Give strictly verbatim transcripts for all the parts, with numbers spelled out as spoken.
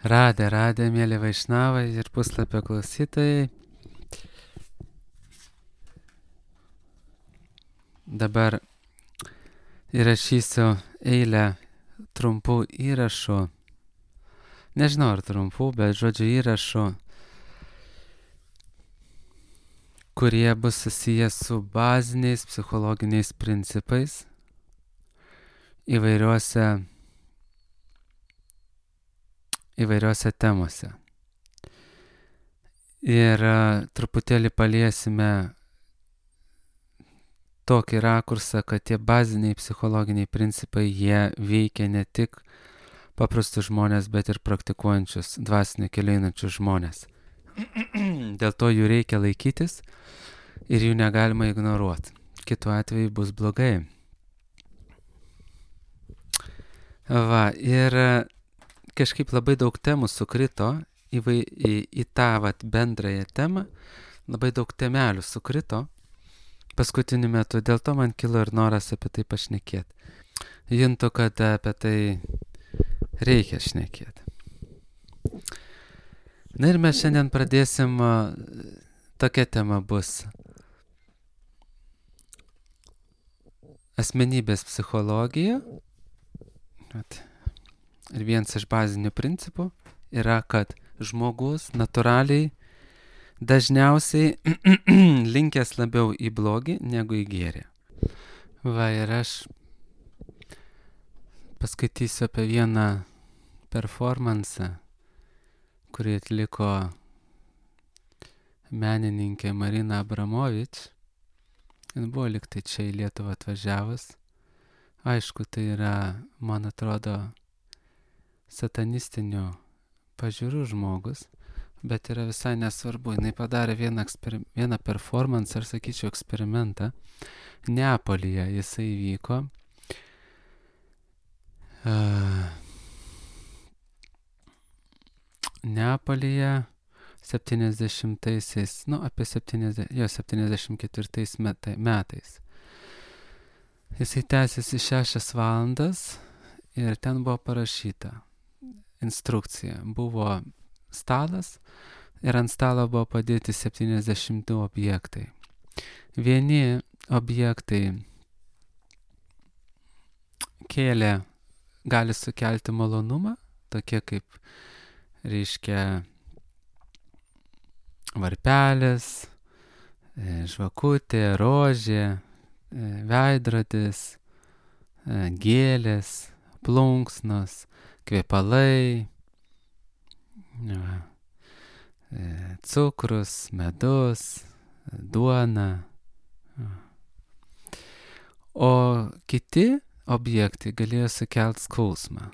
Radė, radė, mėly Vaišnavai ir puslapio klausytojai. Dabar įrašysiu eilę trumpų įrašų. Nežinau ar trumpų, bet žodžiu įrašų, kurie bus susijęs su baziniais psichologiniais principais įvairiuose, įvairiuose temose. Ir uh, truputėlį paliesime tokį rakursą, kad tie baziniai psichologiniai principai, jie veikia ne tik paprastus žmonės, bet ir praktikuojančius dvasinio kelio einančius žmonės. Dėl to jų reikia laikytis ir jų negalima ignoruoti. Kitu atveju bus blogai. Va, ir kažkaip labai daug temų sukrito į, vai, į, į tą vat, bendrąją temą, labai daug temelių sukrito paskutiniu metu, dėl to man kilo ir noras apie tai pašnekėti. Juntu, kad apie tai reikia šnekėti. Na ir mes šiandien pradėsim, tokia tema bus asmenybės psichologija. Ir vienas iš bazinių principų yra, kad žmogus natūraliai dažniausiai linkęs labiau į blogį negu į gėrį. Va, ir aš paskaitysiu apie vieną performansą, kurį atliko menininkė Marina Abramovič. Jis buvo liktai čia į Lietuvą atvažiavus. Aišku, tai yra, man atrodo, satanistinių pažiūrų žmogus, bet yra visai nesvarbu. Jis padarė vieną, eksper... vieną performansą, ar sakyčiau eksperimentą. Neapolyje jisai vyko. Uh, Neapolyje septyniasdešimtaisiais, nu apie septyniasdešimt, jo, septyniasdešimt ketvirtais metais. Jisai tęsiasi šešias valandas ir ten buvo parašyta instrukcija. Buvo stalas ir ant stalo buvo padėti septyniasdešimt du objektai. Vieni objektai kėlė, gali sukelti malonumą, tokie kaip, reiškia, varpelis, žvakutė, rožė, veidrodis, gėlės, plunksnos, kvepalai, cukrus, medus, duona. O kiti objektai galėjo sukelti skausmą.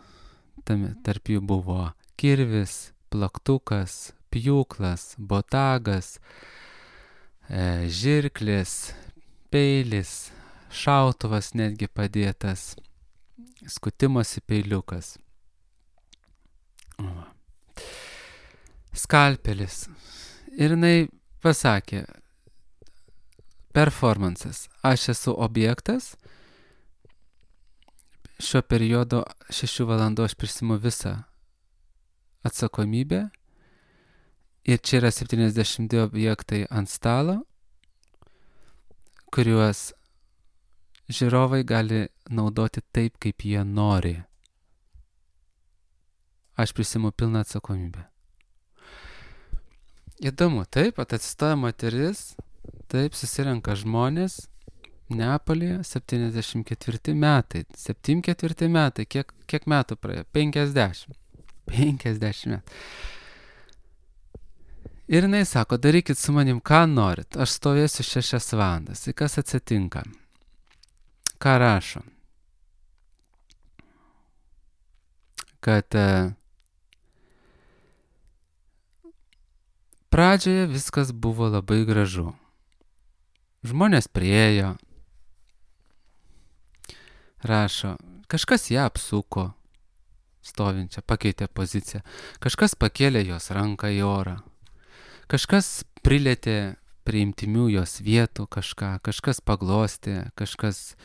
Tam, tarp jų buvo kirvis, plaktukas, pjūklas, botagas, e, žirklis, peilis, šautuvas netgi padėtas, skutimosi peiliukas. O. Skalpelis. Ir jinai pasakė, performansas, aš esu objektas, šiuo periodu šešių valandų aš prisimu visą atsakomybę ir čia yra septyniasdešimt du objektai ant stalo, kuriuos žiūrovai gali naudoti taip, kaip jie nori. Aš prisimu pilną atsakomybę. Įdomu, taip, atsistoja moteris, taip, susirenka žmonės, Neapolyje, septyniasdešimt ketvirti metai. septyniasdešimt ketvirti metai, kiek, kiek metų praėjo? penkiasdešimt. penkiasdešimt metų. Ir jinai sako, darykit su manim, ką norit, aš stovėsiu šešias valandas. Ir kas atsitinka? Ką rašo? Kad uh, pradžioje viskas buvo labai gražu. Žmonės priėjo, rašo, kažkas ją apsuko, stovinčią, pakeitė poziciją, kažkas pakėlė jos ranką į orą, kažkas prilėtė prie intimių jos vietų kažką, kažkas paglostė, kažkas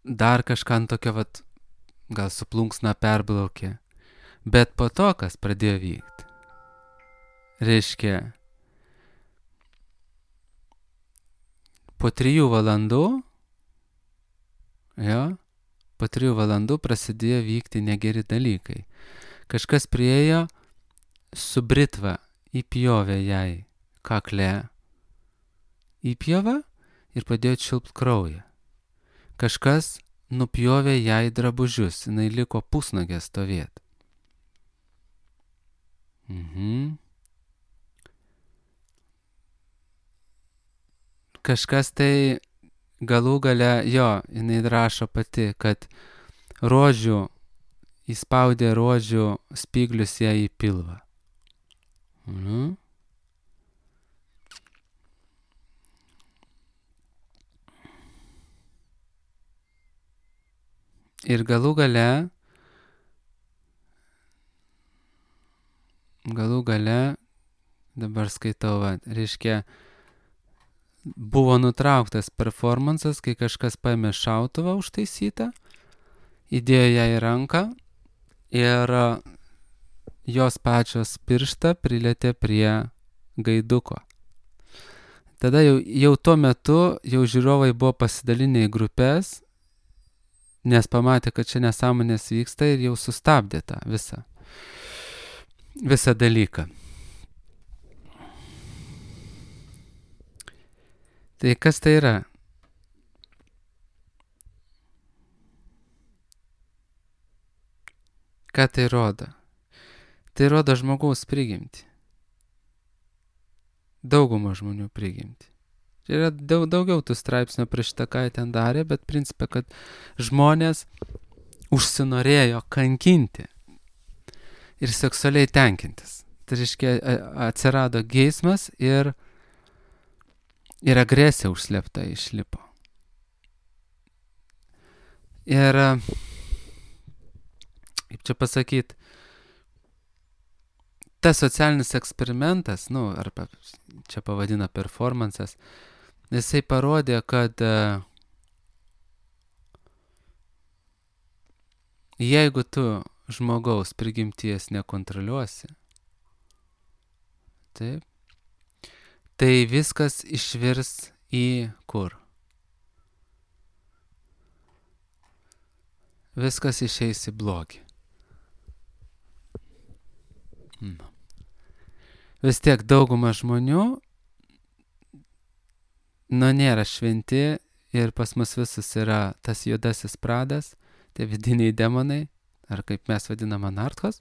dar kažką ant tokio vat gal su plunksna perbraukė. Bet po to, kas pradėjo vykti, reiškia, po trijų valandų, jo, po trijų valandų prasidėjo vykti negeri dalykai. Kažkas priėjo su britva, įpjovė jai kakle, įpjovą ir padėjo čiulpt kraują. Kažkas nupjovė jai drabužius, jinai liko pusnagė stovėti. Mhm. Kažkas tai galų gale, jo, jinai rašo pati, kad rožių, įspaudė rožių spyglius ją į pilvą. Mhm. Ir galų gale, galų gale, dabar skaitau, va, reiškia, buvo nutrauktas performansas, kai kažkas paėmė šautuvą užtaisytą, įdėjo ją į ranką ir jos pačios pirštą prilietė prie gaiduko. Tada jau, jau tuo metu jau žiūrovai buvo pasidalinę į grupės, nes pamatė, kad čia nesąmonės vyksta ir jau sustabdė tą visą, visą dalyką. Tai kas tai yra? Ką tai rodo? Tai rodo žmogaus prigimtį. Daugumą žmonių prigimtį. Čia yra daug, daugiau tų straipsnių prieš tą, ką jie ten darė, bet principė, kad žmonės užsinorėjo kankinti ir seksualiai tenkintis. Tai reiškia, atsirado geismas ir, ir agresija užslėpta išlipo. Ir, kaip čia pasakyti, tas socialinis eksperimentas, nu, arba čia pavadina performansas, jisai parodė, kad jeigu tu žmogaus prigimties nekontroliuosi, taip, tai viskas išvirs į kur? Viskas išeis į blogį. Nu. Vis tiek dauguma žmonių, nu, nėra šventi ir pas mus visus yra tas juodasis pradas, tie vidiniai demonai, ar kaip mes vadinam anarchos.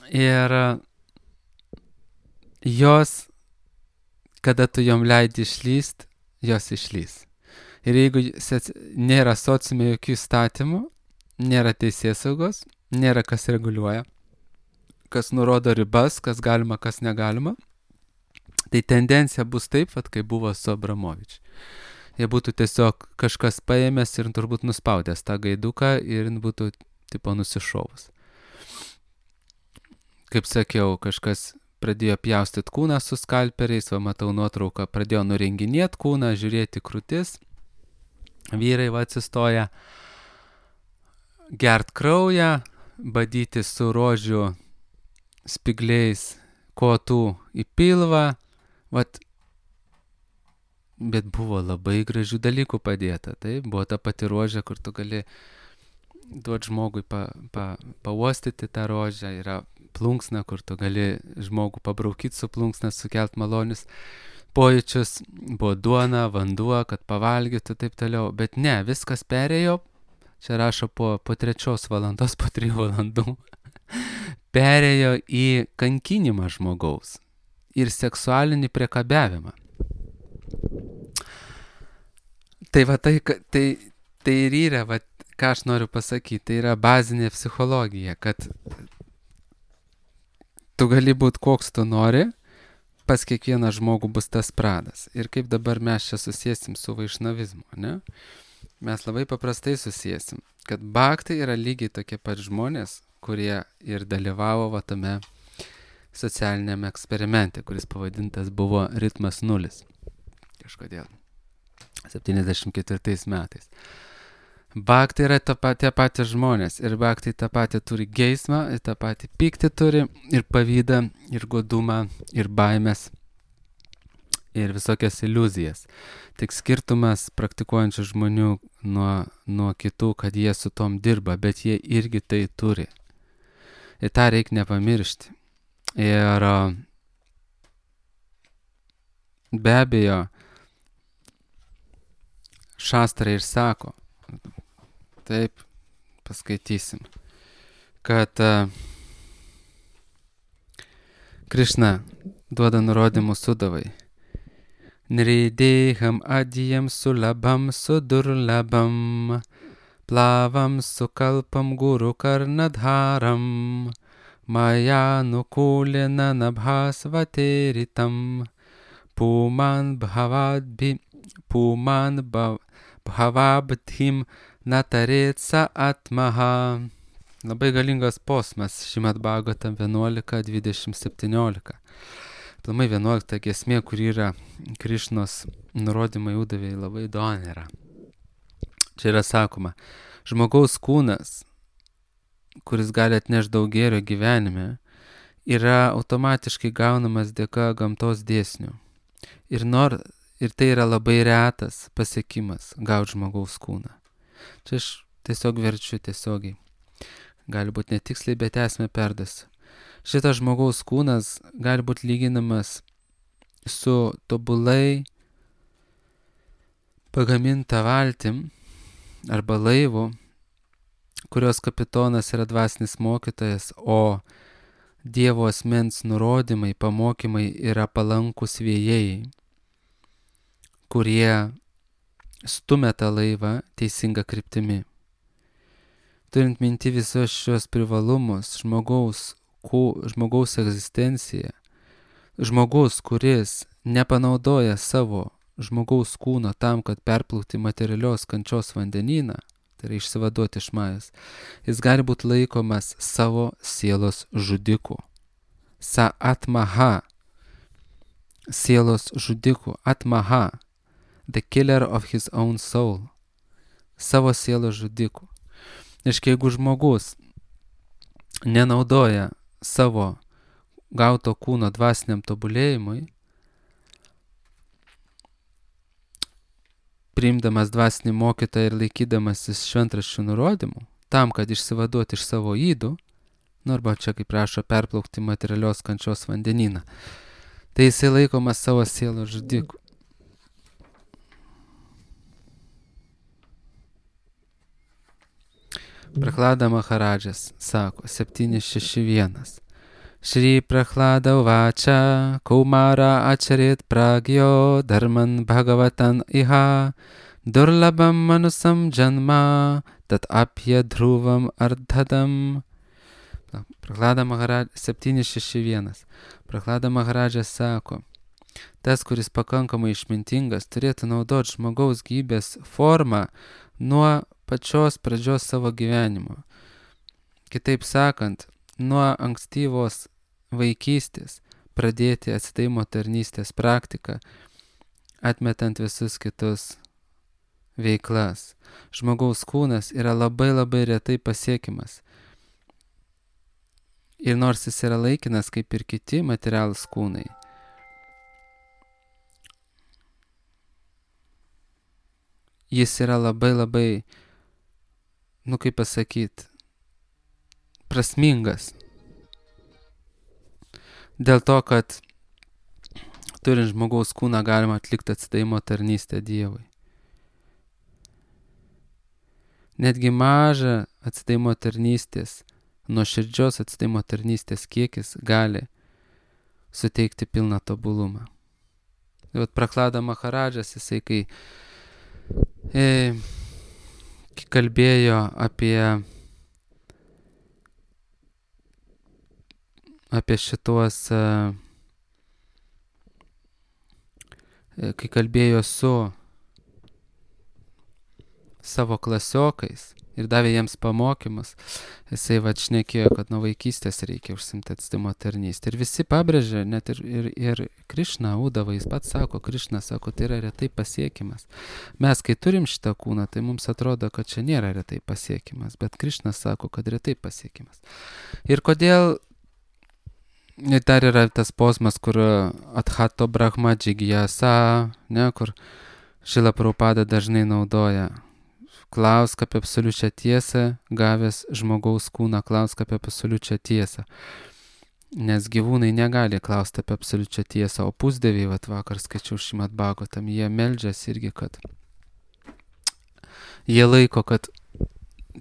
Ir jos, kada tu jom leidi išlyst, jos išlys. Ir jeigu nėra sociume jokių įstatymų, nėra teisėsaugos, nėra kas reguliuoja, kas nurodo ribas, kas galima, kas negalima, tai tendencija bus taip, vat, kaip buvo su Abramovič. Jie būtų tiesiog kažkas paėmęs ir turbūt nuspaudęs tą gaiduką ir būtų tipo nusišovus. Kaip sakiau, kažkas pradėjo pjaustyti kūną su skalperiais, va matau nuotrauką, pradėjo nurenginėti kūną, žiūrėti krūtis, vyrai va atsistoja, gert kraują, badyti su rožių spigliais kotų į pilvą, vat, bet buvo labai gražių dalykų padėta, tai buvo ta pati rožė, kur tu gali duoti žmogui pa, pa, pauostyti tą rožę, yra plunksna, kur tu gali žmogų pabraukyti su plunksna, sukelt malonius pojūčius, buvo duona, vanduo, kad pavalgytų, taip toliau, bet ne, viskas perėjo, čia rašo po, po trečios valandos, po trijų valandų, perėjo į kankinimą žmogaus ir seksualinį priekabiavimą. Tai va tai, tai, tai ir yra, va, ką aš noriu pasakyti, tai yra bazinė psichologija, kad tu gali būti koks tu nori, pas kiekvieną žmogų bus tas pradas. Ir kaip dabar mes čia susiesim su vaišnavizmu, ne? Mes labai paprastai susiesim, kad bhaktai yra lygiai tokie pat žmonės, kurie ir dalyvavo va tame socialiniame eksperimente, kuris pavadintas buvo ritmas nulis. Kažkodėl. septyniasdešimt ketvirtais metais. Bhakti yra ta pat, tie patys žmonės ir bhakti tą patį turi geismą, ir tą patį pyktį turi, ir pavydą, ir godumą, ir baimės, ir visokias iliuzijas. Tik skirtumas praktikuojančių žmonių nuo, nuo kitų, kad jie su tom dirba, bet jie irgi tai turi. Ir tą reikia nepamiršti. Ir be abejo, šastrai ir sako, taip, paskaitysim, kad uh, Krishna duoda nurodymus Sudavai. Nrideham adiyam sulabam sudurlabam, plavam sukalpam guru karnadharam, maya nukulena nabhasvateritam, puman bhavadbhi, puman bhavabdhim nataretsa atmaha. Labai galingas posmas, Šrimad Bhagavatam vienuolika dvidešimt septyniolika. Plamai vienuolikta giesmė, kur yra Krišnos nurodymai Udavai, labai įdomi yra. Čia yra sakoma, žmogaus kūnas, kuris gali atnešti daug gėrio gyvenime, yra automatiškai gaunamas dėka gamtos dėsnių. Ir, nor, ir tai yra labai retas pasiekimas gauti žmogaus kūną. Čia aš tiesiog verčiu tiesiogiai. Gali būti netiksliai, bet esmę perdasiu. Šitas žmogaus kūnas gali būti lyginamas su tobulai pagaminta valtim arba laivu, kurios kapitonas yra dvasinis mokytojas, o Dievo asmens nurodymai, pamokymai yra palankus vėjai, kurie stumia tą laivą teisinga kryptimi. Turint minti visos šios privalumus, žmogaus, ku, žmogaus egzistencija, žmogus, kuris nepanaudoja savo žmogaus kūno tam, kad perplaukti materialios kančios vandenyną, tai yra išsivaduoti iš majos, jis gali būti laikomas savo sielos žudiku. Sa atmaha, sielos žudiku, atmaha, the killer of his own soul, savo sielos žudiku. Iškai, jeigu žmogus nenaudoja savo gauto kūno dvasiniam tobulėjimui, priimdamas dvasinį mokytoją ir laikydamasis šventraščių nurodymų, tam, kad išsivaduoti iš savo ydų, nu arba čia, kaip prašo, perplaukti materialios kančios vandenyną, tai jisai laikomas savo sielos žudiku. Prahlada Maharadžas sako septyni šeši vienas. Šri Prahlada uvača Kaumara ačarit pragyo dharman bhagavatan iha durlabam manusam janma tat apya dhruvam ardhadam. Prahlada Maharadžas septyni šeši vienas. Prahlada Maharadžas sako, tas, kuris pakankamai išmintingas, turėtų naudoti žmogaus gyvybės formą nuo pačios pradžios savo gyvenimo. Kitaip sakant, nuo ankstyvos vaikystės pradėti atsidavimo tarnystės praktiką, atmetant visus kitus veiklas. Žmogaus kūnas yra labai labai retai pasiekimas. Ir nors jis yra laikinas kaip ir kiti materialūs kūnai, jis yra labai labai, nu kaip pasakyti, prasmingas. Dėl to, kad turint žmogaus kūną galima atlikti atsidavimo tarnystę Dievui. Netgi mažą atsidavimo tarnystės, nuoširdžios atsidavimo tarnystės kiekis gali suteikti pilną tobulumą. Tai vat Prahlada Maharadžas, jisai kai e, kalbėjo apie apie šituos, kai kalbėjo su savo klasiokais ir davė jiems pamokymus. Jisai va šnekėjo, kad nuo vaikystės reikia užsimti atstimo tarnystę. Ir visi pabrėžė, net ir, ir, ir Krišna, Udava, jis pats sako, Krišna sako, tai yra retai pasiekimas. Mes, kai turim šitą kūną, tai mums atrodo, kad čia nėra retai pasiekimas, bet Krišna sako, kad retai pasiekimas. Ir kodėl, ir dar yra tas posmas, kur Adhato Brahma Džigyasa, ne, kur Šrila Prabhupada dažnai naudoja. Klausk apie absoliučią tiesą, gavęs žmogaus kūną, klausk apie absoliučią tiesą. Nes gyvūnai negali klausti apie absoliučią tiesą, o pusdieviai, vat vakar skaičiau Šrimad Bhagavatam, jie meldžiasi irgi, kad jie laiko, kad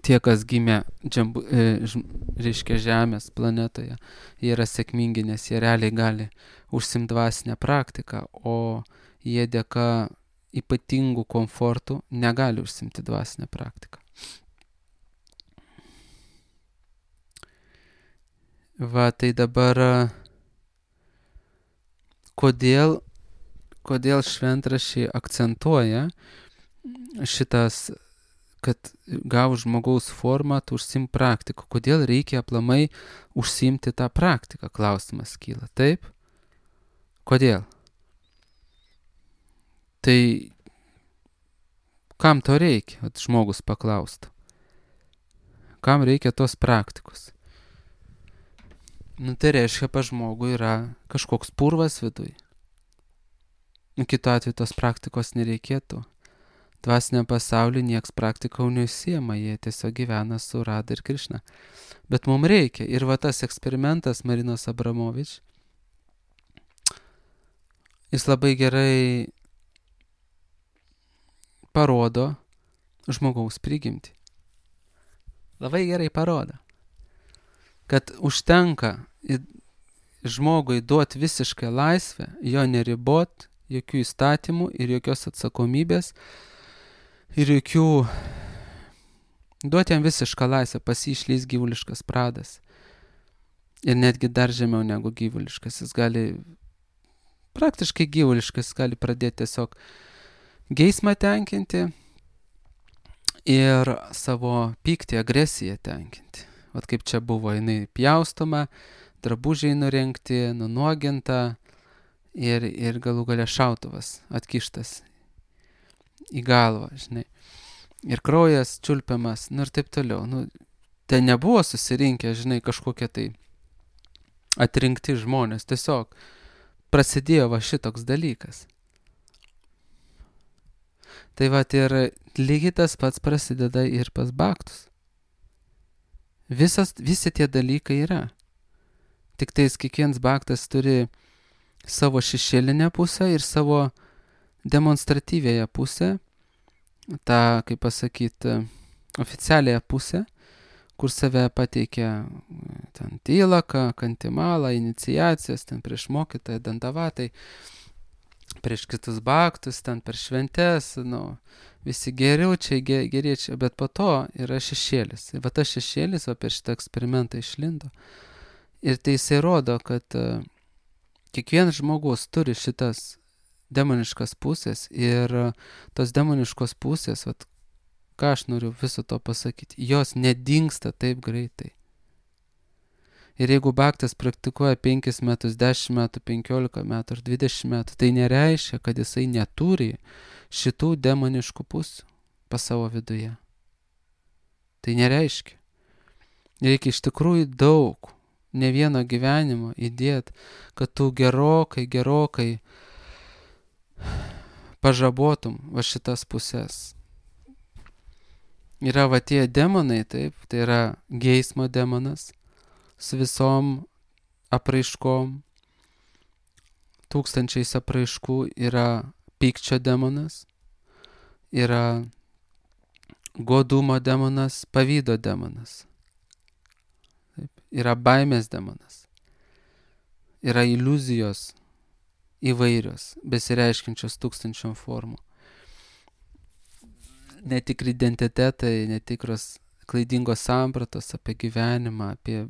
tie, kas gimė, džembu, e, ž, reiškia Žemės planetoje, jie yra sėkmingi, nes jie realiai gali užsimti dvasinę praktiką, o jie dėka ypatingų komfortų negali užsimti dvasinę praktiką. Va, tai dabar kodėl, kodėl šventraščiai akcentuoja šitas, kad gavus žmogaus formą, tu užsim praktiką. Kodėl reikia aplamai užsimti tą praktiką, klausimas kyla. Taip? Kodėl? Tai kam to reikia, at žmogus paklaustų? Kam reikia tos praktikos? Nu, tai reiškia, pa žmogui yra kažkoks purvas viduj. Kitu atveju tos praktikos nereikėtų. Dvasiniam pasauliu nieks praktikau neužsiema, jie tiesiog gyvena su Radha ir Krišna. Bet mums reikia. Ir va tas eksperimentas Marinos Abramovič, jis labai gerai parodo žmogaus prigimtį. Labai gerai parodo, kad užtenka žmogui duoti visišką laisvę, jo neribot, jokių įstatymų ir jokios atsakomybės ir jokių... Duoti jam visišką laisvę, pas jį išlys gyvuliškas pradas. Ir netgi dar žemiau negu gyvuliškas. Jis gali, praktiškai gyvuliškas, jis gali pradėti tiesiog geismą tenkinti ir savo pyktį, agresiją tenkinti. Vat kaip čia buvo, jinai pjaustoma, drabužiai nurengti, nunuoginta ir, ir galų gale šautuvas atkištas į galvą, žinai. Ir kraujas čiulpiamas, nu ir taip toliau. Nu, ten nebuvo susirinkę, žinai, kažkokie tai atrinkti žmonės. Tiesiog prasidėjo va šitoks dalykas. Tai va ir lygiai tas pats prasideda ir pas baktus. Visas, visi tie dalykai yra. Tik tais kiekvienas baktas turi savo šešėlinę pusę ir savo demonstratyvėją pusę, tą, kaip pasakyti, oficialiąją pusę, kur save pateikia ten tylaka, kantimala, iniciacijas, ten prieš mokytoją, dandavatai, prieš kitus baktus, ten per šventes, nu, visi geriučiai, geriečiai, bet po to yra šešėlis. Ir va tas šešėlis, va per šitą eksperimentą išlindo. Ir tai jisai rodo, kad uh, kiekvienas žmogus turi šitas demoniškas pusės ir uh, tos demoniškos pusės, vat, ką aš noriu viso to pasakyti, jos nedingsta taip greitai. Ir jeigu baktas praktikuoja penkis metus, dešimt metų, penkiolika metų ar dvidešimt metų, tai nereiškia, kad jisai neturi šitų demoniškų pusių pas savo viduje. Tai nereiškia. Reikia iš tikrųjų daug, ne vieno gyvenimo įdėti, kad tu gerokai, gerokai pažabotum va šitas pusės. Yra va tie demonai, taip, tai yra geismo demonas, su visom apraiškom, tūkstančiais apraiškų, yra pykčio demonas, yra godumo demonas, pavydo demonas, taip, yra baimės demonas, yra iliuzijos įvairios, besireiškinčios tūkstančiom formų, netikri identitetai, netikros klaidingos sampratos apie gyvenimą, apie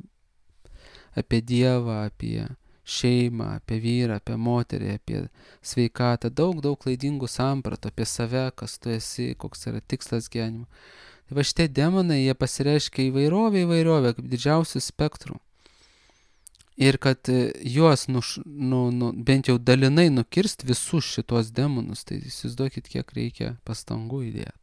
apie Dievą, apie šeimą, apie vyrą, apie moterį, apie sveikatą, daug, daug klaidingų sampratų apie save, kas tu esi, koks yra tikslas gyvenimo. Va šitie demonai, jie pasireiškia įvairovė, įvairovė, kaip didžiausių spektrų. Ir kad juos nuš, nu, nu, bent jau dalinai nukirst visus šitos demonus, tai įsivaizduokit, kiek reikia pastangų įdėti.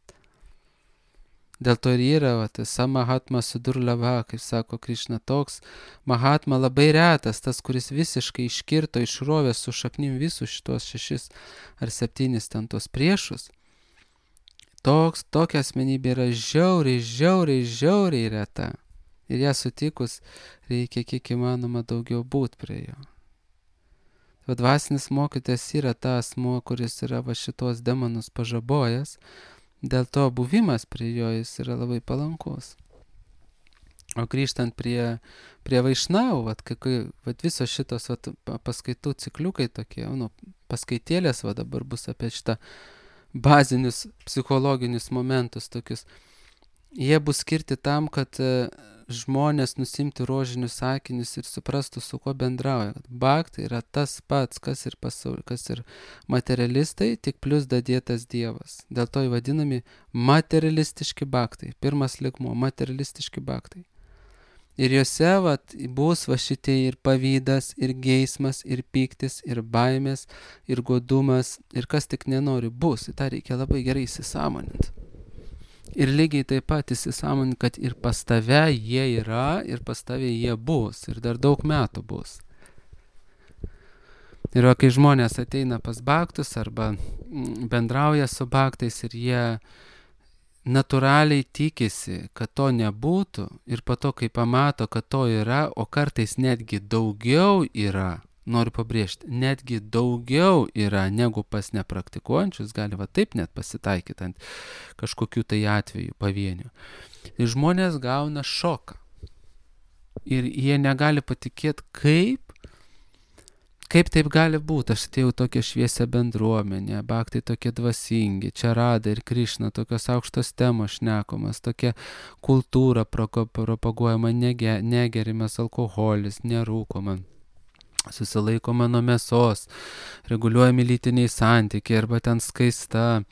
Dėl to ir yra, va, tas Mahatma Sudurlava, kaip sako Krišna, toks Mahatma labai retas, tas, kuris visiškai iškirto, išrovė su šaknim visus šitos šešis ar septynis ten tos priešus. Toks, tokia asmenybė yra žiauriai, žiauriai, žiauriai reta. Ir ją sutikus reikia kiek įmanoma daugiau būt prie jo. Va, dvasinis mokytojas yra tas asmuo, kuris yra va šitos demonus pažabojęs, dėl to buvimas prie jo jis yra labai palankus. O grįžtant prie, prie Vaišnavų, vat, kai, vat visos šitos vat, paskaitų cikliukai tokie, nu, paskaitėlės va, dabar bus apie šitą bazinius psichologinius momentus tokius. Jie bus skirti tam, kad žmonės nusimti rožinius akinius ir suprastų, su kuo bendrauja. Bhakti yra tas pats, kas ir, pasaul... kas ir materialistai, tik plus dadėtas Dievas. Dėl to įvadinami materialistiški bhaktai. Pirmas lygmuo – materialistiški bhaktai. Ir juose vat, bus va šitie ir pavydas, ir geismas, ir pyktis, ir baimės, ir godumas, ir kas tik nenori bus. Į tą reikia labai gerai įsisąmoninti. Ir lygiai taip pat įsisąmoninti, kad ir pas tave jie yra, ir pas tave jie bus, ir dar daug metų bus. Ir kai žmonės ateina pas bhaktus arba bendrauja su bhaktais ir jie natūraliai tikisi, kad to nebūtų, ir po to, kai pamato, kad to yra, o kartais netgi daugiau yra, noriu pabrėžti, netgi daugiau yra negu pas nepraktikuojančius, gali va taip net pasitaikyti ant kažkokių tai atvejų pavienių. Ir žmonės gauna šoką. Ir jie negali patikėti, kaip, kaip taip gali būti. Aš atėjau tokią šviesią bendruomenę, bhaktai tokie dvasingi, čia Rada ir Krišna, tokios aukštos temos šnekomas, tokia kultūra propaguojama, nege, negerimas alkoholis, nerūkoma. Susilaikoma nuo mėsos, reguliuojami lytiniai santykiai, arba ten skaista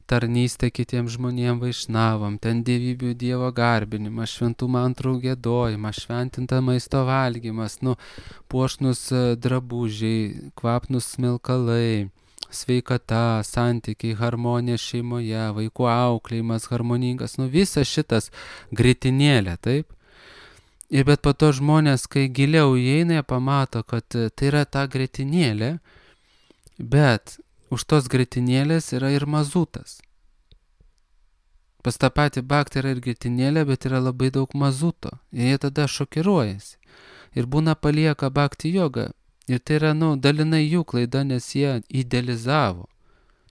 tarnystė kitiems žmonėms vaišnavam, ten dievybių Dievo garbinimas, šventų mantrų giedojimas, šventinta maisto valgymas, nu, puošnus drabužiai, kvapnus smilkalai, sveikata, santykiai, harmonija šeimoje, vaikų auklėjimas harmoningas, nu, visas šitas gritinėlė, taip? Ir bet po to žmonės, kai giliau įeina, jie pamato, kad tai yra ta grietinėlė, bet už tos grietinėlės yra ir mazutas. Pas tą patį bhaktį yra ir grietinėlė, bet yra labai daug mazuto. Ir jie tada šokiruojasi. Ir būna palieka bhakti jogą. Ir tai yra, nu, dalinai jų klaida, nes jie idealizavo.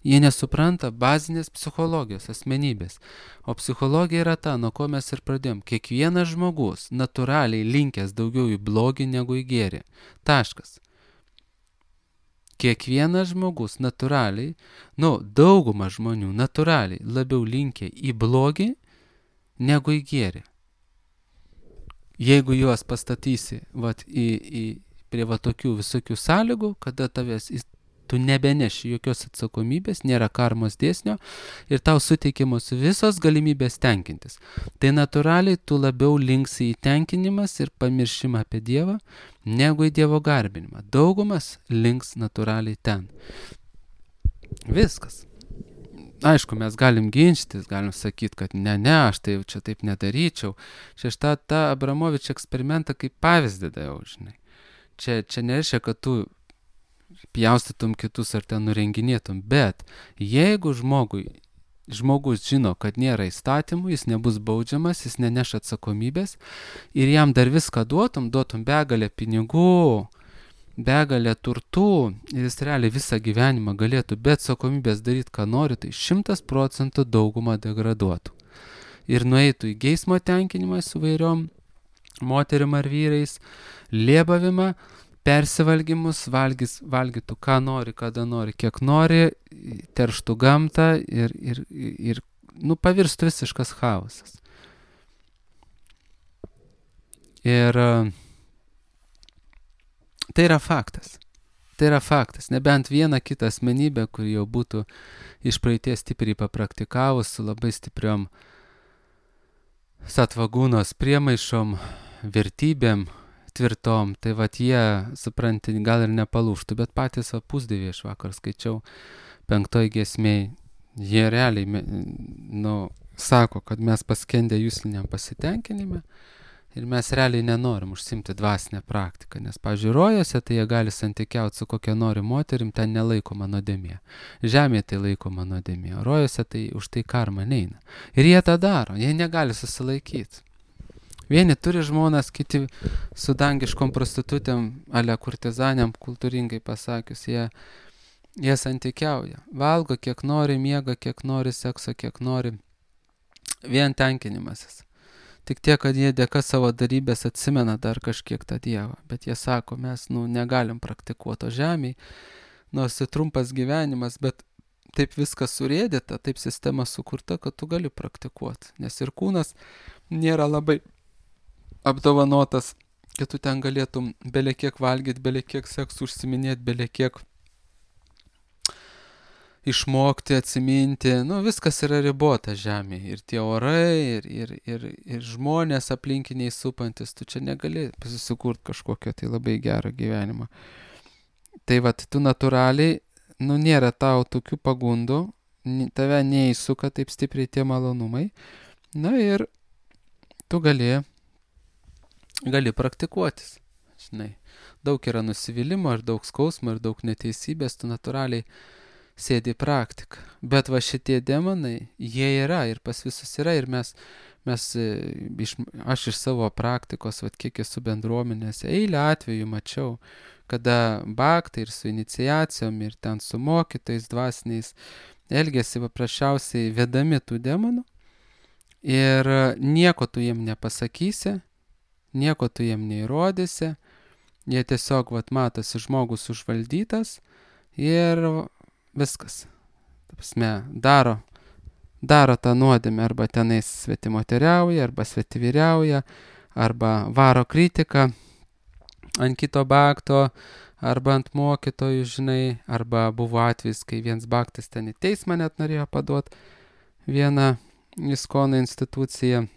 Jie nesupranta bazinės psichologijos, asmenybės. O psichologija yra ta, nuo ko mes ir pradėjom. Kiekvienas žmogus natūraliai linkęs daugiau į blogį negu į gėrį. Taškas. Kiekvienas žmogus natūraliai, nu, dauguma žmonių natūraliai labiau linkę į blogį negu į gėrį. Jeigu juos pastatysi vat, į, į, prie va tokių visokių sąlygų, kada tavęs tu nebeneši jokios atsakomybės, nėra karmos dėsnio ir tau suteikiamos visos galimybės tenkintis. Tai natūraliai tu labiau linksi į tenkinimas ir pamiršimą apie Dievą, negu į Dievo garbinimą. Daugumas links natūraliai ten. Viskas. Aišku, mes galim ginčytis, galim sakyti, kad ne, ne, aš tai čia taip nedaryčiau. Čia aš tą, tą Abramovič eksperimentą kaip pavyzdį daviau, žinai. Čia, čia nereiškia, kad tu pjaustytum kitus ar ten nurenginėtum, bet jeigu žmogui, žmogus žino, kad nėra įstatymų, jis nebus baudžiamas, jis neneš atsakomybės ir jam dar viską duotum, duotum begalę pinigų, begalę turtų ir jis realiai visą gyvenimą galėtų be atsakomybės daryti, ką nori, tai šimtas procentų daugumą degraduotų. Ir nueitų į geismo tenkinimą su vairiom moterim ar vyrais, lėbavimą, persivalgymus, valgys, valgytų ką nori, kada nori, kiek nori, terštų gamtą ir, ir, ir nu, pavirstų visiškas chaosas. Ir tai yra faktas. Tai yra faktas. Nebent viena kita asmenybė, kuri jau būtų iš praeities stipriai papraktikavus, su labai stipriom satvagūnos priemaišom, vertybėm tvirtom, tai vat jie, supranti, gal ir nepalūštų, bet patys va pusdieviai, aš vakar skaičiau penktoj giesmėj, jie realiai, nu, sako, kad mes paskendę jusliniam pasitenkinime ir mes realiai nenorim užsimti dvasinę praktiką, nes, pavyzdžiui, rojose tai jie gali santykiauti su kokia nori moterim, ten nelaikoma nuodėmė. Žemėje tai laikoma nuodėmė, o rojose tai už tai karma neina. Ir jie tą daro, jie negali susilaikyti. Vieni turi žmonas, kiti su dangiškom prostitutėm, ale kurtizanėm, kultūringai pasakius, jie, jie santykiauja. Valgo kiek nori, miega kiek nori, sekso kiek nori. Vien tenkinimasis. Tik tiek, kad jie dėka savo darybės atsimena dar kažkiek tą Dievą. Bet jie sako, mes nu, negalim praktikuoti žemėj, nors ir trumpas gyvenimas, bet taip viskas surėdyta, taip sistema sukurta, kad tu gali praktikuoti. Nes ir kūnas nėra labai apdovanotas, kad tu ten galėtum belekiek valgyti, belekiek seksų užsiminėti, belekiek išmokti, atsiminti. Nu, viskas yra ribota žemėje. Ir tie orai, ir, ir, ir, ir žmonės aplinkiniai supantis. Tu čia negali susikurti kažkokio tai labai gerą gyvenimą. Tai vat, tu natūraliai, nu, nėra tau tokių pagundų, tave neįsuka taip stipriai tie malonumai. Na ir tu gali gali praktikuotis, žinai. Daug yra nusivylimo, ir daug skausmo, ir daug neteisybės, tu natūraliai sėdi praktiką. Bet va šitie demonai, jie yra ir pas visus yra ir mes, mes iš, aš iš savo praktikos, va kiek esu bendruomenėse, eilę atvejų mačiau, kada baktai ir su iniciacijom, ir ten su mokytais dvasiniais elgėsi paprasčiausiai vedami tų demonų ir nieko tu jiem nepasakysi, nieko tu jiem neįrodysi, jie tiesiog, vat, matosi žmogus užvaldytas ir viskas. Ta prasme, daro, daro tą nuodėmę, arba tenais svetimoteriauja, arba svetivyriauja, arba varo kritiką ant kito bakto, arba ant mokytojų, žinai, arba buvo atvejis, kai vienas baktas ten į teismą net norėjo paduoti vieną Iskono instituciją.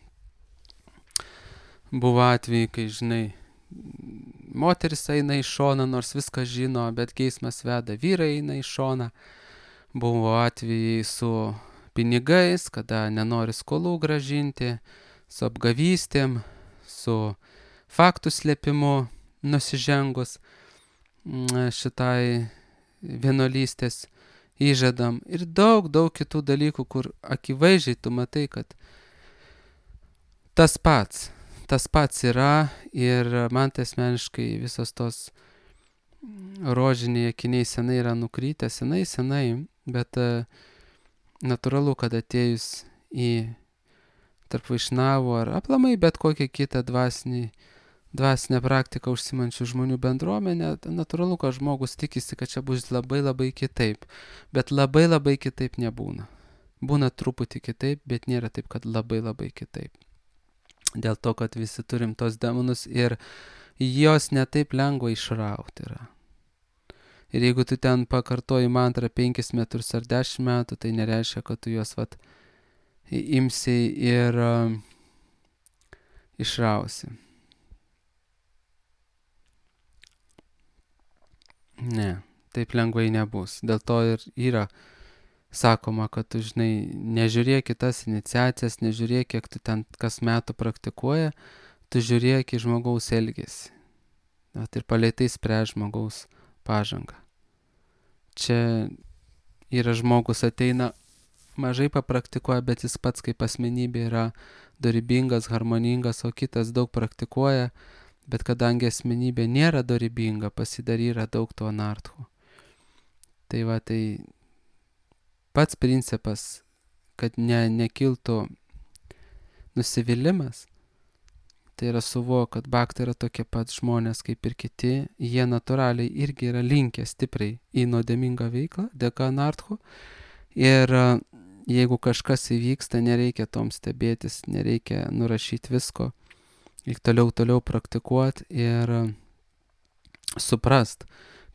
Buvo atvejai, kai, žinai, moteris eina į šoną, nors viską žino, bet geismas veda, vyrai eina į šoną. Buvo atvejai su pinigais, kada nenori skolų gražinti, su apgavystėm, su faktų slėpimu nusižengus šitai vienuolystės įžadam. Ir daug, daug kitų dalykų, kur akivaizdžiai tu matai, kad tas pats. Tas pats yra ir man tai asmeniškai visos tos rožiniai akiniai senai yra nukrytę, senai, senai, bet uh, natūralu, kad atėjus į tarp vaišnavų ar aplamai bet kokią kitą dvasinį, dvasinę praktiką užsimančių žmonių bendruomenę, natūralu, kad žmogus tikisi, kad čia bus labai labai kitaip, bet labai labai kitaip nebūna. Būna truputį kitaip, bet nėra taip, kad labai labai kitaip. Dėl to, kad visi turim tos demonus ir jos netaip lengva išrauti yra. Ir jeigu tu ten pakartoji mantrą penkis metrus ar dešimt metų, tai nereiškia, kad tu juos vat imsi ir uh, išrausi. Ne, taip lengvai nebus. Dėl to ir yra sakoma, kad tu, žinai, nežiūrėk į tas iniciacijas, nežiūrėk, kiek tu ten kas metų praktikuoja, tu žiūrėk į žmogaus elgesį. Vat ir palei tai spręs žmogaus pažangą. Čia yra žmogus ateina, mažai papraktikuoja, bet jis pats kaip asmenybė yra dorybingas, harmoningas, o kitas daug praktikuoja, bet kadangi asmenybė nėra dorybinga, pasidar yra daug to anarchų. Tai va, tai pats principas, kad ne, nekiltų nusivylimas, tai yra suvo, kad baktai yra tokie pat žmonės kaip ir kiti, jie natūraliai irgi yra linkę stipriai į nuodėmingą veiklą, dėka anarchų. Ir jeigu kažkas įvyksta, nereikia tom stebėtis, nereikia nurašyti visko, reikia toliau, toliau praktikuoti ir suprast,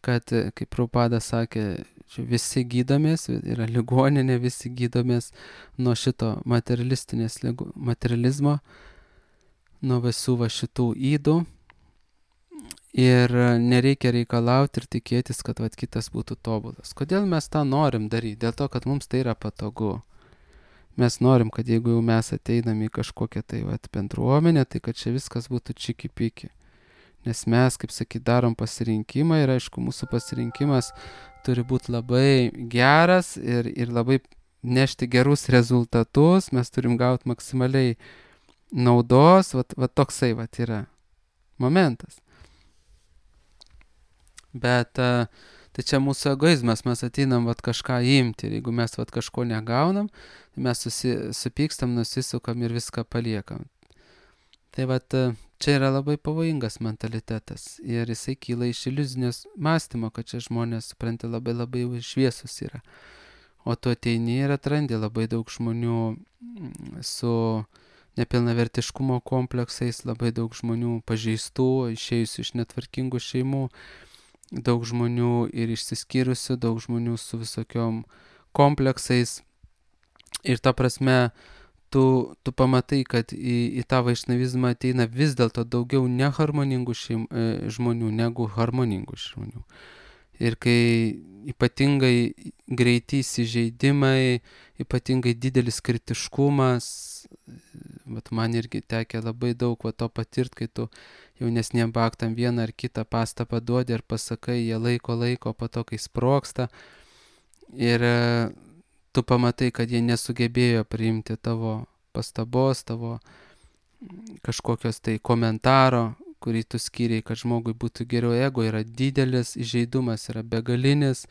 kad, kaip Prabhupada sakė, visi gydomės, yra ligoninė, visi gydomės nuo šito materialistinės ligo, materializmo, nuo visų va šitų ydų. Ir nereikia reikalauti ir tikėtis, kad vat, kitas būtų tobulas. Kodėl mes tą norim daryti? Dėl to, kad mums tai yra patogu. Mes norim, kad jeigu jau mes ateinam į kažkokią tai vat, bendruomenę, tai kad čia viskas būtų čiki-piki. Nes mes, kaip sakyt, darom pasirinkimą ir aišku, mūsų pasirinkimas turi būti labai geras ir, ir labai nešti gerus rezultatus, mes turim gauti maksimaliai naudos, vat, vat toksai vat yra momentas. Bet tai čia mūsų egoizmas, mes ateinam vat, kažką imti ir jeigu mes vat, kažko negaunam, tai mes susi, supykstam, nusisukam ir viską paliekam. Tai vat, čia yra labai pavojingas mentalitetas ir jisai kyla iš iliuzinės mąstymo, kad čia žmonės, supranti, labai labai šviesus yra. O tu ateini ir atrandi labai daug žmonių su nepilnavertiškumo kompleksais, labai daug žmonių pažeistų, išėjusių iš netvarkingų šeimų, daug žmonių ir išsiskyrusių, daug žmonių su visokiom kompleksais. Ir ta prasme, tu, tu pamatai, kad į, į tą vaišnavizmą ateina vis dėlto daugiau neharmoningų šeim, e, žmonių negu harmoningų žmonių. Ir kai ypatingai greiti įsižeidimai, ypatingai didelis kritiškumas, vat man irgi tekė labai daug va, to patirt, kai tu jaunesniem baktam vieną ar kitą pastabą duodi ir pasakai, jie laiko laiko, po to kai sprogsta. Ir tu pamatai, kad jie nesugebėjo priimti tavo pastabos, tavo kažkokios tai komentaro, kurį tu skiriai, kad žmogui būtų geriau. Ego yra didelis, įžeidumas yra begalinis,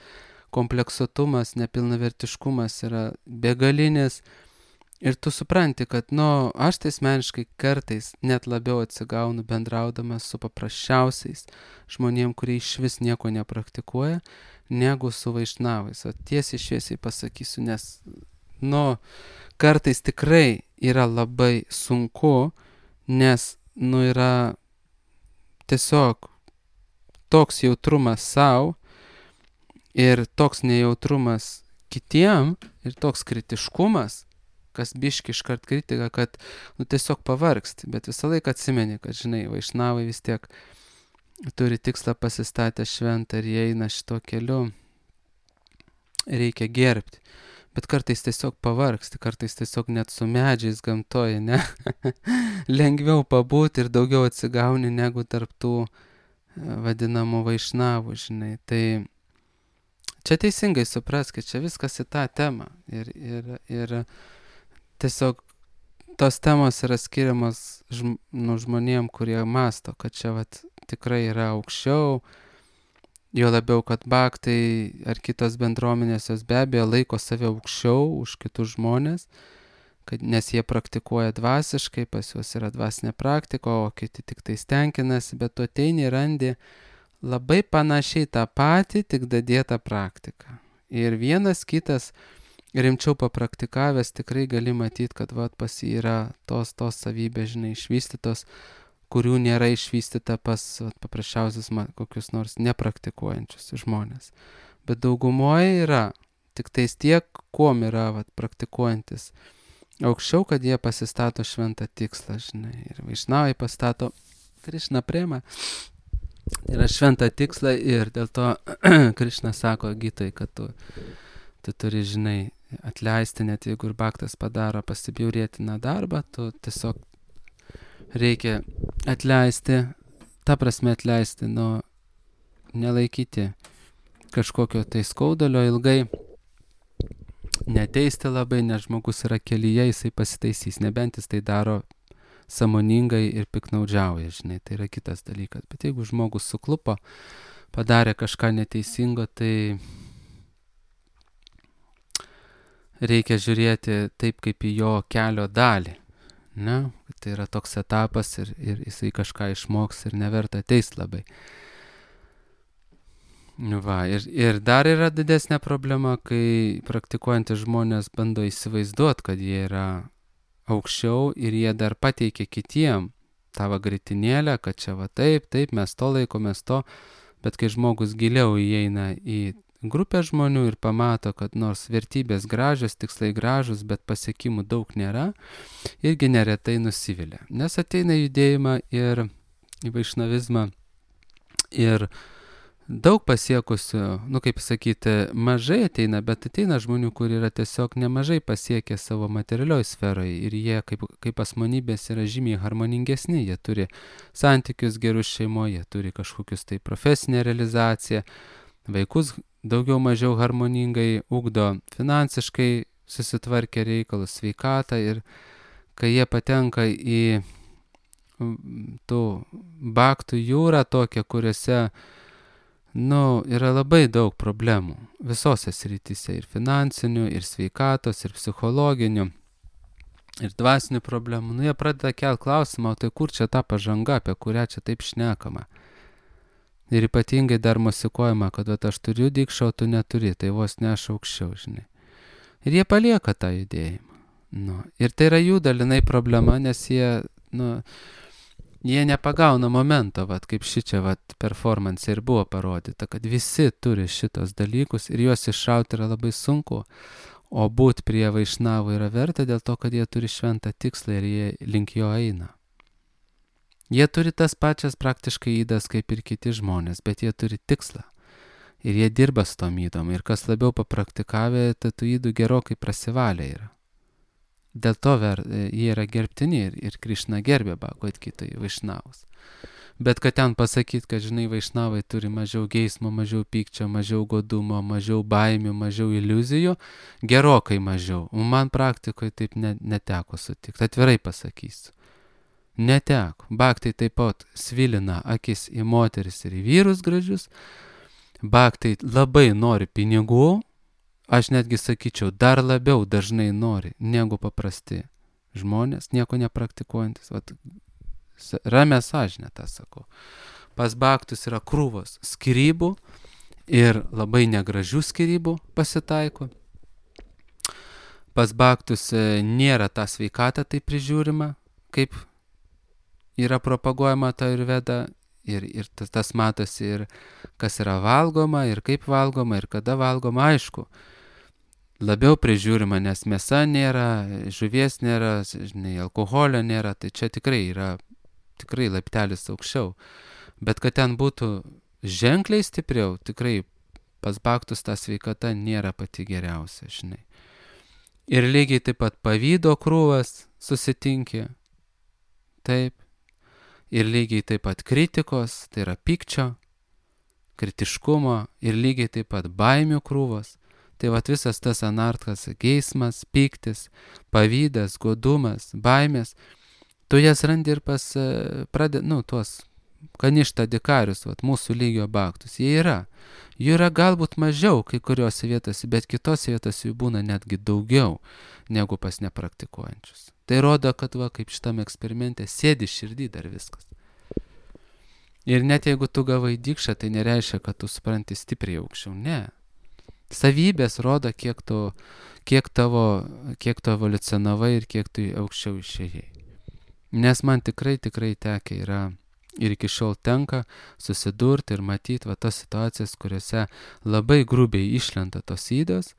kompleksuotumas, nepilnavertiškumas yra begalinis. Ir tu supranti, kad, nu, aš tai asmeniškai kartais net labiau atsigaunu bendraudamas su paprasčiausiais žmonėm, kurie iš vis nieko nepraktikuoja, negu su vaišnavais. O tiesiai šviesiai pasakysiu, nes, nu, kartais tikrai yra labai sunku, nes, nu, yra tiesiog toks jautrumas savo ir toks nejautrumas kitiem ir toks kritiškumas, kas biški iškart kritika, kad nu, tiesiog pavargsti, bet visą laiką atsimeni, kad, žinai, vaišnavai vis tiek turi tikslą pasistatę šventą ir jie eina šito keliu, reikia gerbti. Bet kartais tiesiog pavargsti, kartais tiesiog net su medžiais gamtoje, ne? Lengviau pabūti ir daugiau atsigauni negu tarptų vadinamų vaišnavų, žinai. Tai čia teisingai supras, kad čia viskas į tą temą ir, ir, ir tiesiog tos temos yra skiriamas žm, nu, žmonėm, kurie masto, kad čia vat, tikrai yra aukščiau, jo labiau, kad baktai ar kitos bendruomenės jos be abejo laiko save aukščiau už kitus žmonės, kad, nes jie praktikuoja dvasiškai, pas juos yra dvasinė praktika, o kiti tik tai stenkinasi, bet tu ateini ir randi labai panašiai tą patį, tik dadėtą praktiką. Ir vienas kitas rimčiau papraktikavęs tikrai gali matyti, kad vat, pas jį yra tos, tos savybės, žinai, išvystytos, kurių nėra išvystyta pas vat, paprasčiausius kokius nors nepraktikuojančius žmonės. Bet daugumoje yra tik tais tiek, kuom yra vat, praktikuojantis aukščiau, kad jie pasistato šventą tikslą, žinai. Ir vaišnavai pastato Krišna prema. Yra šventą tikslą ir dėl to Krišna sako Gitai, kad tu, tu turi, žinai, atleisti, net jeigu ir baktas padaro pasibjaurėtiną darbą, tu tiesiog reikia atleisti, ta prasme atleisti, nu, nelaikyti kažkokio tai skaudulio ilgai, neteisti labai, nes žmogus yra kelyje, jisai pasitaisys, nebent jis tai daro sąmoningai ir piknaudžiauja, žinai, tai yra kitas dalykas. Bet jeigu žmogus suklupo, padarė kažką neteisingo, tai reikia žiūrėti taip, kaip į jo kelio dalį. Ne? Tai yra toks etapas ir, ir jisai kažką išmoks ir neverta teist labai. Va, ir, ir dar yra didesnė problema, kai praktikuojantys žmonės bando įsivaizduoti, kad jie yra aukščiau ir jie dar pateikia kitiem tavo gritinėlę, kad čia va taip, taip, mes to laikomės to, bet kai žmogus giliau įeina į grupę žmonių ir pamato, kad nors vertybės gražios, tikslai gražus, bet pasiekimų daug nėra, irgi neretai nusivilia. Nes ateina judėjimą ir į vaišnavizmą ir daug pasiekusių, nu kaip sakyti, mažai ateina, bet ateina žmonių, kur yra tiesiog nemažai pasiekę savo materialioj sferoje ir jie kaip, kaip asmenybės yra žymiai harmoningesni, jie turi santykius gerus šeimoje, jie turi kažkokius tai profesinę realizaciją, vaikus daugiau mažiau harmoningai ugdo, finansiškai susitvarkę reikalus, sveikatą ir kai jie patenka į tų baktų jūrą tokią, kuriuose nu, yra labai daug problemų visose srityse, ir finansinių, ir sveikatos, ir psichologinių, ir dvasinių problemų. Nu, jie pradeda kelt klausimą, o tai kur čia ta pažanga, apie kurią čia taip šnekama. Ir ypatingai dar mosikuojama, kad vat, aš turiu dikšą, o tu neturi, tai vos ne aš aukščiau, žinai. Ir jie palieka tą judėjimą. Nu, ir tai yra jų dalinai problema, nes jie, nu, jie nepagauna momento, vat, kaip šičia vat, performance ir buvo parodyta, kad visi turi šitos dalykus ir juos iššauti yra labai sunku, o būt prie vaišnavų yra verta dėl to, kad jie turi šventą tikslą ir jie link jo eina. Jie turi tas pačias praktiškai įdas kaip ir kiti žmonės, bet jie turi tikslą ir jie dirba su tom įdom ir kas labiau papraktikavę, tai tų įdų gerokai prasivalę yra. Dėl to ver, jie yra gerbtini ir, ir Krišna gerbė Bhagavad Gitoj vaišnavus. Bet kad ten pasakyti, kad žinai, vaišnavai turi mažiau geismo, mažiau pykčio, mažiau godumo, mažiau baimių, mažiau iliuzijų, gerokai mažiau. O man praktikoje taip ne, neteko sutikti. Atvirai pasakysiu. Neteko. Bhaktai taip pat svilina akis į moteris ir į vyrus gražius. Bhaktai labai nori pinigų. Aš netgi sakyčiau, dar labiau dažnai nori negu paprasti žmonės, nieko nepraktikuojantis. Vat, ramę sąžinę tą sakau. Pas bhaktus yra krūvos skyrybų ir labai negražių skyrybų pasitaiko. Pas bhaktus nėra ta sveikata taip prižiūrima, kaip yra propaguojama ta Ayurveda. Ir, ir tas, tas matosi ir kas yra valgoma, ir kaip valgoma, ir kada valgoma, aišku. Labiau prižiūrima, nes mėsa nėra, žuvies nėra, žinai, alkoholio nėra, tai čia tikrai yra tikrai laiptelis aukščiau. Bet kad ten būtų ženkliai stipriau, tikrai pas bhaktus ta sveikata nėra pati geriausia, žinai. Ir lygiai taip pat pavydo krūvas susitinkė, taip. Ir lygiai taip pat kritikos, tai yra pykčio, kritiškumo ir lygiai taip pat baimių krūvos. Tai vat visas tas anartas, geismas, pyktis, pavydas, godumas, baimės, tu jas randi ir pas, pradė, nu, tuos kaništa dikarius, vat mūsų lygio bhaktus. Jie yra. Jų yra galbūt mažiau kai kuriuose vietose, bet kitose vietose jų būna netgi daugiau negu pas nepraktikuojančius. Tai rodo, kad va, kaip šitam eksperimente sėdi širdį dar viskas. Ir net jeigu tu gavai dikšą, tai nereiškia, kad tu supranti stipriai aukščiau. Ne. Savybės rodo, kiek tu, kiek tavo, kiek tu evoliucionavai ir kiek tu aukščiau išėjai. Nes man tikrai, tikrai tekia yra ir iki šiol tenka susidurti ir matyti va tas situacijas, kuriuose labai grubiai išlenda tos ydos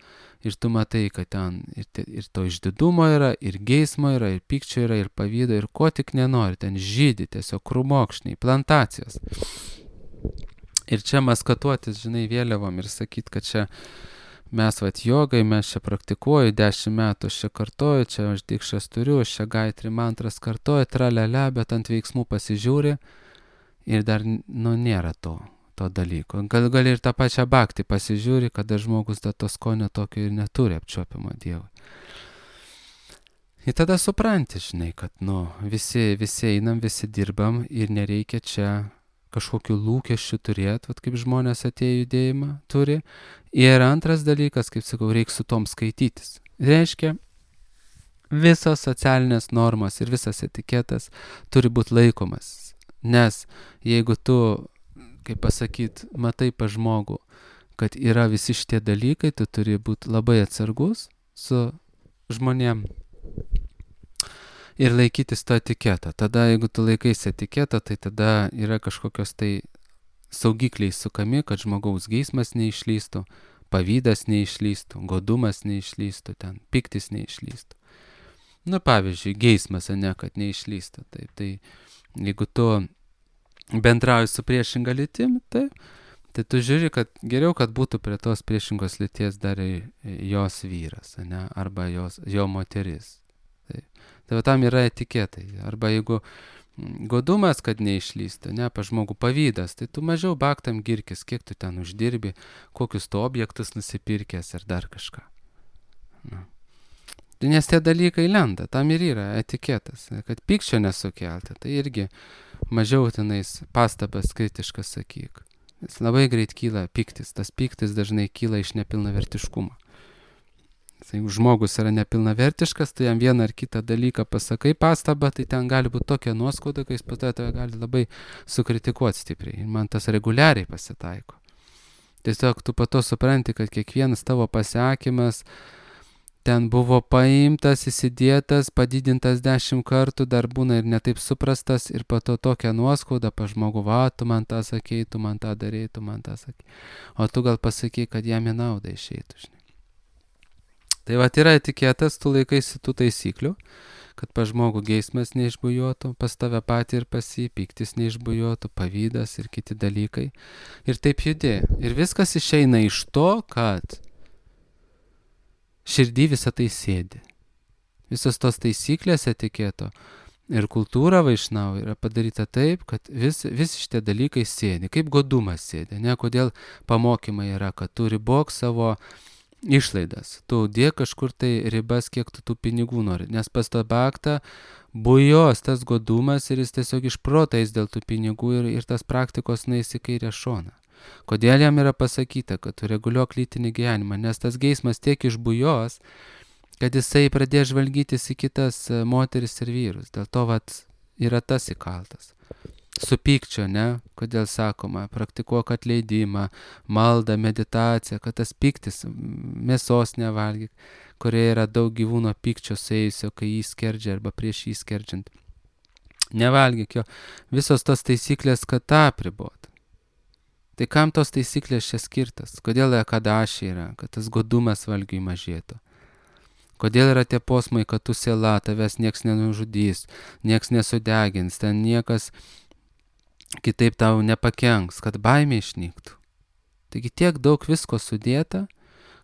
ir tu matai, kad ten ir, te, ir to išdidumo yra, ir geismo yra, ir pykčio yra, ir pavydo, ir ko tik nenori, ten žydi tiesiog krūmokšniai, plantacijos. Ir čia maskatuotis, žinai, vėliavom ir sakyti, kad čia mes vat jogai, mes čia praktikuoju, dešimt metų aš čia kartoju, čia aš dikšas turiu, aš čia gaitri mantras kartoju, tralele, bet ant veiksmų pasižiūri ir dar, nu, nėra to, to dalyko. Gal gali ir tą pačią bhaktį pasižiūri, kada žmogus da to skonio tokio ir neturi apčiuopimo Dievui. Ir tada supranti, žinai, kad, nu, visi, visi einam, visi dirbam ir nereikia čia kažkokių lūkesčių turėti, vat kaip žmonės atėjo judėjimą turi. Ir antras dalykas, kaip sakau, reikia su tom skaitytis. Reiškia, visos socialinės normos ir visas etiketas turi būti laikomas. Nes jeigu tu, kaip pasakyt, matai pa žmogų, kad yra visi šitie dalykai, tu turi būti labai atsargus su žmonėm ir laikytis to etiketo. Tada, jeigu tu laikaisi etiketo, tai tada yra kažkokios tai saugikliai sukami, kad žmogaus geismas neišlystų, pavydas neišlystų, godumas neišlystų, ten piktis neišlystų. Nu, pavyzdžiui, geismas, ne, kad neišlystų. Taip, tai jeigu tu bendrauji su priešinga lytim, tai, tai tu žiūri, kad geriau, kad būtų prie tos priešingos lyties dar jos vyras, ne, arba jos, jo moteris. Tai, tai va tam yra etiketai. Arba jeigu godumas, kad neišlystų, ne, pa žmogų pavydas, tai tu mažiau baktam girkis, kiek tu ten uždirbi, kokius tu objektus nusipirkęs ir dar kažką. Na. Nes tie dalykai lenda, tam ir yra etiketas, kad pykčio nesukelti, tai irgi mažiau tenais pastabas kritiškas sakyk. Jis labai greit kyla pyktis, tas pyktis dažnai kyla iš nepilnavertiškumo. Jeigu žmogus yra nepilnavertiškas, tai jam vieną ar kitą dalyką pasakai pastabą, tai ten gali būti tokia nuoskauda, kai jis po to gali labai sukritikuoti stipriai. Ir man tas reguliariai pasitaiko. Tiesiog tu po to supranti, kad kiekvienas tavo pasakymas ten buvo paimtas, įsidėtas, padidintas dešimt kartų, dar būna ir netaip suprastas, ir po to tokia nuoskauda pa žmogų, va, tu man tą sakei, tu man tą darei, tu man tą sakei. O tu gal pasakei, kad jam į naudą išeitų, žinai. Tai va, yra etiketas, tu laikaisi tų taisyklių, kad pa žmogų geismas neišbujotų, pas tave patį ir pas jį, pyktis neišbujotų, pavydas ir kiti dalykai. Ir taip judė. Ir viskas išeina iš to, kad širdį visą tai sėdi. Visos tos taisyklės etiketo ir kultūra Vaišnavų yra padaryta taip, kad vis, vis šitie dalykai sėdi. Kaip godumas sėdi. Ne, kodėl pamokymai yra, kad tu ribok savo išlaidas. Tu dėk kažkur tai ribas, kiek tu tų pinigų nori. Nes pas tą baktą bujos tas godumas ir jis tiesiog išprotais dėl tų pinigų ir, ir tas praktikos nueis į kairę šoną. Kodėl jam yra pasakyta, kad tu reguliuok lytinį gyvenimą? Nes tas geismas tiek išbujos, kad jisai pradės žvalgytis į kitas moteris ir vyrus. Dėl to vat yra tas įkaltas. Su pykčio, ne? Kodėl sakoma, praktikuok atleidimą, maldą, meditaciją, kad tas pyktis, mėsos nevalgyk, kurioje yra daug gyvūno pykčio suėjusio, kai jį skerdžia arba prieš jį skerdžiant. Nevalgyk jo. Visos tos taisyklės, kad tą apribot. Tai kam tos taisyklės čia skirtas? Kodėl ekadaši yra, kad tas godumas valgiui mažėtų? Kodėl yra tie posmai, kad tu siela, tavęs nieks nenužudys, nieks nesudegins, ten niekas kitaip tau nepakenks, kad baimė išnyktų. Taigi tiek daug visko sudėta,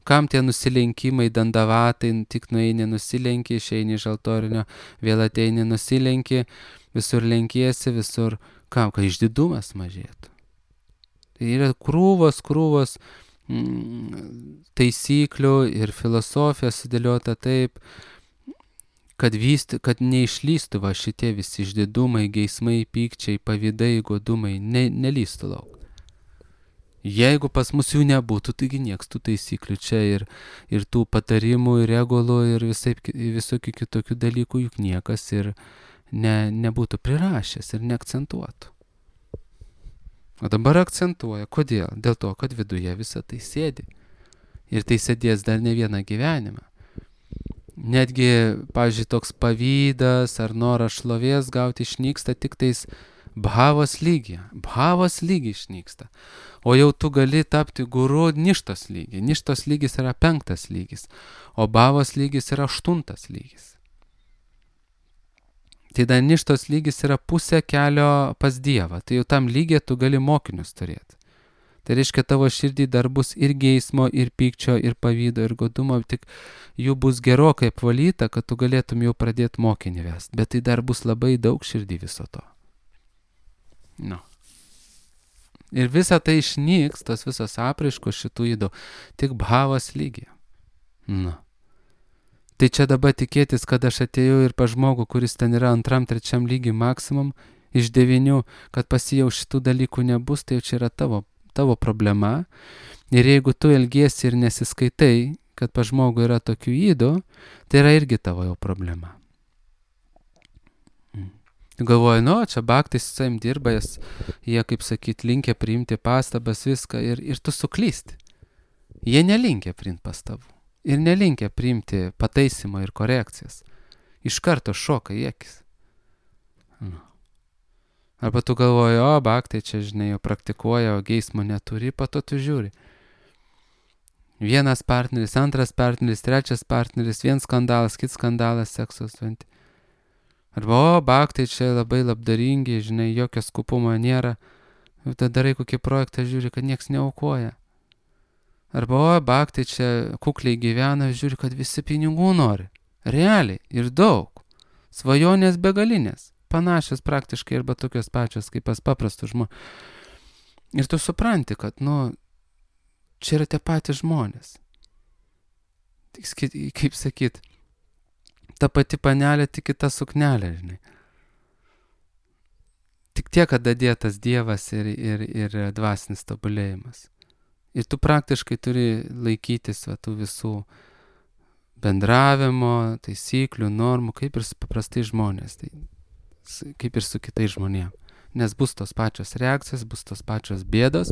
kam tie nusilenkimai, dandavatai, tik nueini nusilenki, išeini iš altorinio, vėl ateini nusilenki, visur lenkiesi, visur, kam, kad išdidumas mažėtų. Tai yra krūvos, krūvos mm, taisyklių ir filosofija sudėliota taip, kad, vysti, kad neišlystų va šitie visi išdidumai, geismai, pykčiai, pavydai, godumai, ne, nelystų lauk. Jeigu pas mus jų nebūtų, taigi nieks tų taisyklių čia ir, ir tų patarimų, ir regulų, ir visai, visokių kitokių dalykų juk niekas ir ne, nebūtų prirašęs ir neakcentuotų. O dabar akcentuoja. Kodėl? Dėl to, kad viduje visą tai sėdi. Ir tai sėdės dar ne vieną gyvenimą. Netgi, pavyzdžiui, toks pavydas ar noras šlovės gauti išnyksta tik tais bhavos lygyje. Bhavos lygiai išnyksta. O jau tu gali tapti guru ništos lygiai. Ništos lygis yra penktas lygis, o bhavos lygis yra aštuntas lygis. Tai dar ništos lygis yra pusė kelio pas Dievą. Tai jau tam lygiai tu gali mokinius turėti. Tai reiškia, tavo širdį dar bus ir geismo, ir pykčio, ir pavydo, ir godumo, tik jų bus gerokai apvalyta, kad tu galėtum jau pradėti mokinį vesti. Bet tai dar bus labai daug širdį viso to. No. Ir visa tai išnyks, tos visos apraiškos šitų įdų, tik bhavos lygiai. No. Tai čia dabar tikėtis, kad aš atėjau ir pa žmogų, kuris ten yra antram, trečiam lygiai maksimum, iš devynių, kad pasijau šitų dalykų nebus, tai jau čia yra tavo tavo problema. Ir jeigu tu elgiesi ir nesiskaitai, kad pa žmogų yra tokių ydų, tai yra irgi tavo jau problema. Mm. Tu galvoji, nu, čia baktai su savim dirba, jie, kaip sakyt, linkia priimti pastabas, viską, ir, ir tu suklysti. Jie nelinkia priimti pastabų. Ir nelinkia priimti pataisimo ir korekcijas. Iš karto šoka į akis. Nu. Arba tu galvoji, o, bhaktai čia, žinai, jau praktikuoja, o geismo neturi, po to tu žiūri. Vienas partneris, antras partneris, trečias partneris, vienas skandalas, kits skandalas, seksos. Arba, o, bhaktai čia labai labdaringi, žinai, jokio skupumo nėra. Ir tada darai kokį projektą, žiūri, kad nieks neaukoja. Arba, o, bhaktai čia kukliai gyvena, žiūri, kad visi pinigų nori. Realiai ir daug. Svajonės begalinės. Panašios praktiškai arba tokios pačios kaip pas paprastus žmonės. Ir tu supranti, kad, nu, čia yra tie patys žmonės. Tik, kaip sakyt, ta pati panelė, tik kita suknelė, žinai. Tik tiek, kad dadėtas Dievas ir, ir, ir dvasinis tobulėjimas. Ir tu praktiškai turi laikytis va, tų visų bendravimo, taisyklių, normų, kaip ir su paprastai žmonės. Tai kaip ir su kitais žmonėm. Nes bus tos pačios reakcijos, bus tos pačios bėdos,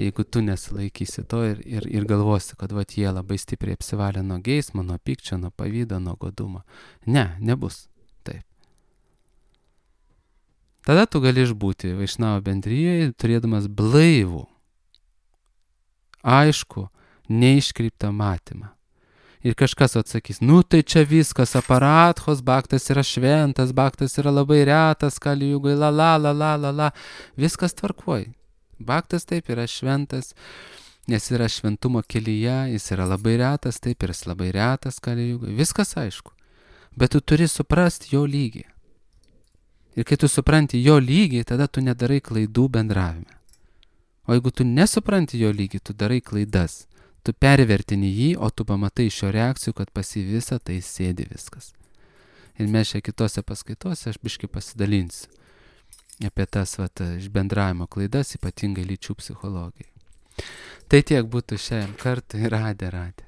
jeigu tu nesilaikysi to ir, ir, ir galvosi, kad vat, jie labai stipriai apsivalė nuo geismo, nuo pykčio, nuo pavydo, nuo godumo. Ne, nebus taip. Tada tu gali išbūti Vaišnavo bendrijoje, turėdamas blaivų, aišku, neiškreiptą matymą. Ir kažkas atsakys, nu tai čia viskas, aparatchos, bhaktas yra šventas, bhaktas yra labai retas, kali jugai, la la la la la la, viskas tvarkoj. Bhaktas taip yra šventas, nes yra šventumo kelyje, jis yra labai retas, taip ir jis labai retas, kali jugai, viskas aišku. Bet tu turi suprasti jo lygį. Ir kai tu supranti jo lygį, tada tu nedarai klaidų bendravime. O jeigu tu nesupranti jo lygį, tu darai klaidas. Tu pervertini jį, o tu pamatai iš jo reakcijų, kad pas jį visą tai sėdi viskas. Ir mes čia kitose paskaitose aš biškai pasidalinsiu apie tas vat, išbendravimo klaidas, ypatingai lyčių psichologijai. Tai tiek būtų šiandien kartą ir radė, radė.